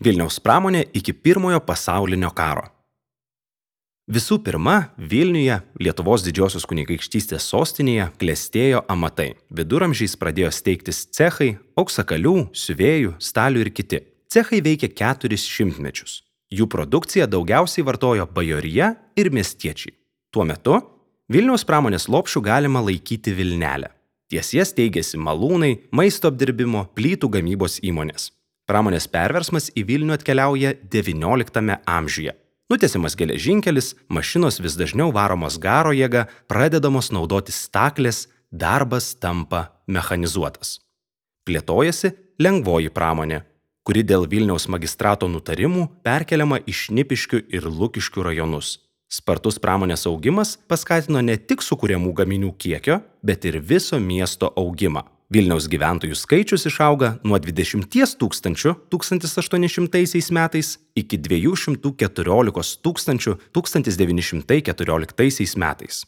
Vilniaus pramonė iki Pirmojo pasaulinio karo. Visų pirma, Vilniuje, Lietuvos didžiosios kunigaikštystės sostinėje, klestėjo amatai. Viduramžiais pradėjo steigtis cechai, auksakalių, siuvėjų, stalių ir kiti. Cechai veikė 4 šimtmečius. Jų produkciją daugiausiai vartojo bajorija ir miestiečiai. Tuo metu Vilniaus pramonės lopšiu galima laikyti Vilnelę. Ties jas steigėsi malūnai, maisto apdirbimo, plytų gamybos įmonės. Pramonės perversmas į Vilnių atkeliauja XIX amžiuje. Nutiesiamas geležinkelis, mašinos vis dažniau varomos garo jėga, pradedamos naudoti staklės, darbas tampa mechanizuotas. Plėtojasi lengvoji pramonė, kuri dėl Vilniaus magistrato nutarimų perkeliama į Šnipiškių ir Lukiškių rajonus. Spartus pramonės augimas paskatino ne tik sukuriamų gaminių kiekio, bet ir viso miesto augimą. Vilniaus gyventojų skaičius išauga nuo 20 tūkstančių 1800 metais iki 214 tūkstančių 1914 metais.